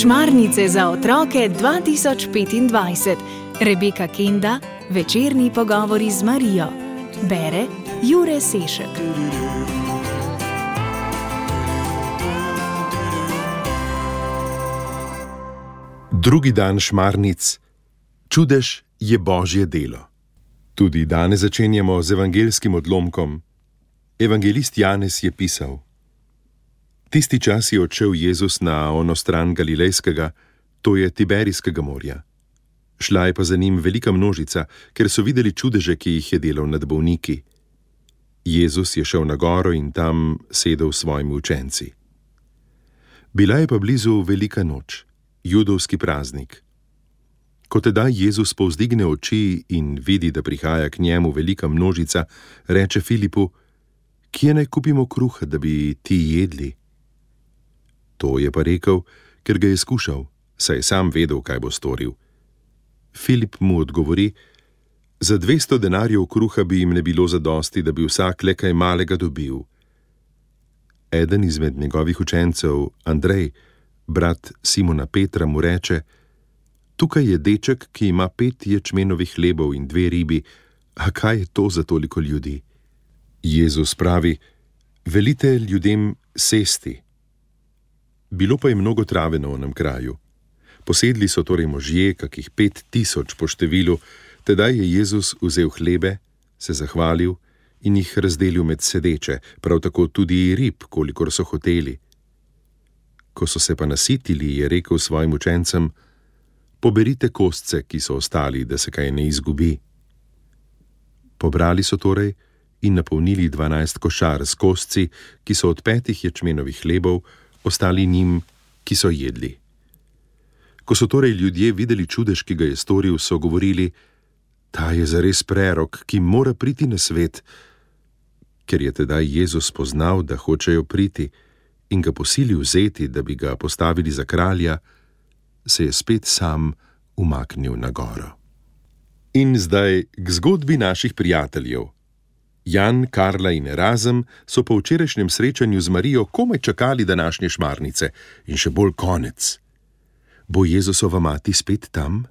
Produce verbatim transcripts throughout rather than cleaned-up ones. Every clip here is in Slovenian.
Šmarnice za otroke dva tisoč petindvajset. Rebeka Kenda, večerni pogovori z Marijo. Bere Jure Sešek. Drugi dan šmarnic. Čudež je Božje delo. Tudi danes začenjamo z evangelskim odlomkom. Evangelist Janez je pisal: Tisti čas je odšel Jezus na ono stran Galilejskega, to je Tiberijskega morja. Šla je pa za njim velika množica, ker so videli čudeže, ki jih je delal nad bolniki. Jezus je šel na goro in tam sedel s svojimi učenci. Bila je pa blizu velika noč, judovski praznik. Ko tedaj Jezus povzdigne oči in vidi, da prihaja k njemu velika množica, reče Filipu: Kje naj kupimo kruha, da bi ti jedli? To je pa rekel, ker ga je skušal, saj je sam vedel, kaj bo storil. Filip mu odgovori: Za dvesto denarjev kruha bi jim ne bilo zadosti, da bi vsak le kaj malega dobil. Eden izmed njegovih učencev, Andrej, brat Simona Petra, mu reče: Tukaj je deček, ki ima pet ječmenovih hlebov in dve ribi, a kaj je to za toliko ljudi? Jezus pravi: Velite ljudem sesti. Bilo pa je mnogo trave na onem kraju. Posedli so torej možje, kakih pet tisoč po številu, tedaj je Jezus vzel hlebe, se zahvalil in jih razdelil med sedeče, prav tako tudi rib, kolikor so hoteli. Ko so se pa nasitili, je rekel svojim učencem: Poberite kostce, ki so ostali, da se kaj ne izgubi. Pobrali so torej in napolnili dvanajst košar s kostci, ki so od petih ječmenovih hlebov ostali njim, ki so jedli. Ko so torej ljudje videli čudež, ki ga je storil, so govorili: Ta je zares prerok, ki mora priti na svet. Ker je tedaj Jezus spoznal, da hočejo priti, in ga posilil vzeti, da bi ga postavili za kralja, se je spet sam umaknil na goro. In zdaj k zgodbi naših prijateljev. Jan, Karla in Erazem so po včerajšnjem srečanju z Marijo komaj čakali današnje šmarnice in še bolj konec. Bo Jezusova mati spet tam?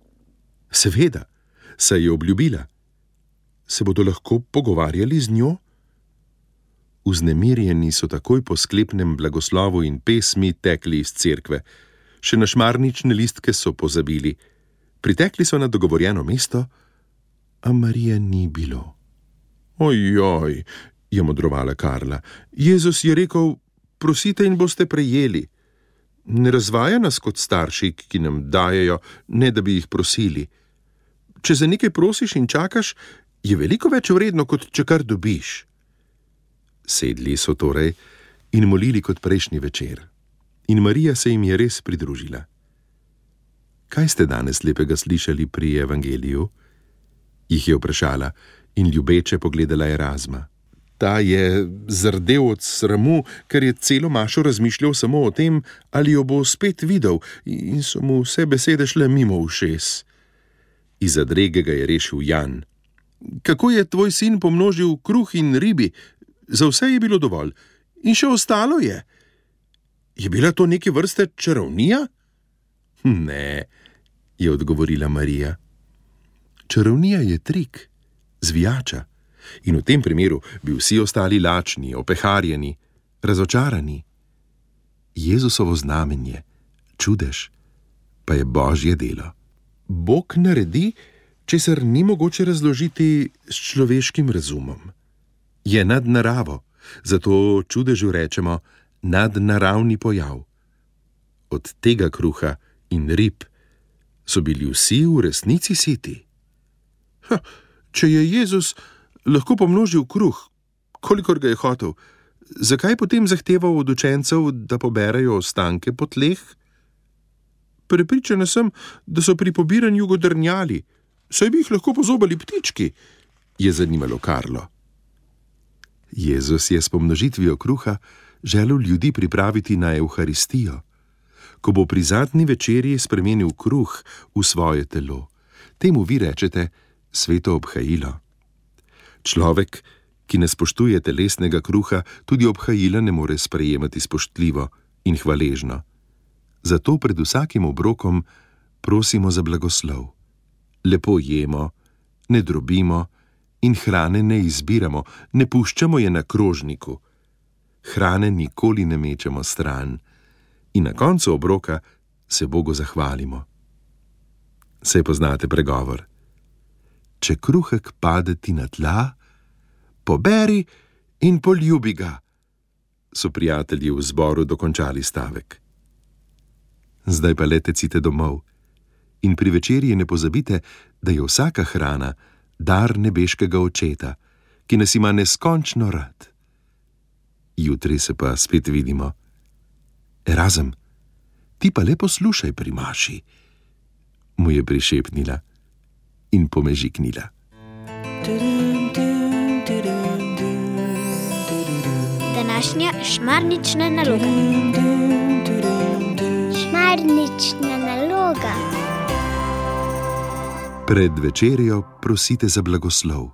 Seveda, saj je obljubila. Se bodo lahko pogovarjali z njo? Vznemirjeni so takoj po sklepnem blagoslovu in pesmi tekli iz cerkve. Še na šmarnične listke so pozabili. Pritekli so na dogovorjeno mesto, a Marije ni bilo. Ojoj, je modrovala Karla. Jezus je rekel: Prosite in boste prejeli. Ne razvaja nas kot starši, ki nam dajejo, ne da bi jih prosili. Če za nekaj prosiš in čakaš, je veliko več vredno, kot če kar dobiš. Sedli so torej in molili kot prejšnji večer. In Marija se jim je res pridružila. Kaj ste danes lepega slišali pri evangeliju? Jih je vprašala in ljubeče pogledala Erazma. Ta je zardel od sramu, ker je celo mašo razmišljal samo o tem, ali jo bo spet videl, in so mu vse besede šle mimo ušes. Iz zadrege ga je rešil Jan. Kako je tvoj sin pomnožil kruh in ribi? Za vse je bilo dovolj. In še ostalo je. Je bila to neke vrste čarovnija? Ne, je odgovorila Marija. Čarovnija je trik, zvijača. In v tem primeru bi vsi ostali lačni, opeharjeni, razočarani. Jezusovo znamenje, čudež, pa je Božje delo. Bog naredi, česar ni mogoče razložiti s človeškim razumom. Je nad naravo, zato čudežu rečemo nadnaravni pojav. Od tega kruha in rib so bili vsi v resnici siti. Ha, če je Jezus lahko pomnožil kruh, kolikor ga je hotel, zakaj potem zahteval od učencev, da poberajo ostanke po tleh? Prepričana sem, da so pri pobiranju godrnjali, saj bi jih lahko pozobali ptički, je zanimalo Karlo. Jezus je s pomnožitvijo kruha želel ljudi pripraviti na Evharistijo, ko bo pri zadnji večerji spremenil kruh v svoje telo. Temu vi rečete sveto obhajilo. Človek, ki ne spoštuje telesnega kruha, tudi obhajila ne more sprejemati spoštljivo in hvaležno. Zato pred vsakim obrokom prosimo za blagoslov. Lepo jemo, ne drobimo in hrane ne izbiramo, ne puščamo je na krožniku. Hrane nikoli ne mečemo stran in na koncu obroka se Bogu zahvalimo. Saj poznate pregovor: če kruhek pade ti na tla, poberi in poljubi ga, so prijatelji v zboru dokončali stavek. Zdaj pa le tecite domov in pri večerji ne pozabite, da je vsaka hrana dar nebeškega Očeta, ki nas ima neskončno rad. Jutri se pa spet vidimo. Erazem, ti pa le poslušaj pri maši, mu je prišepnila in pomežiknila. Današnja šmarnična naloga. Šmarnična naloga. Pred večerjo prosite za blagoslov.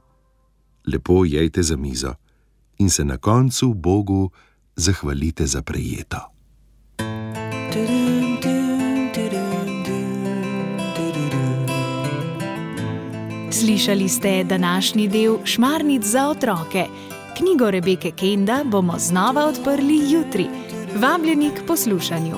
Lepo jejte za mizo in se na koncu Bogu zahvalite za prejeto. Slišali ste današnji del Šmarnic za otroke. Knjigo Rebeke Kenda bomo znova odprli jutri. Vabljeni k poslušanju.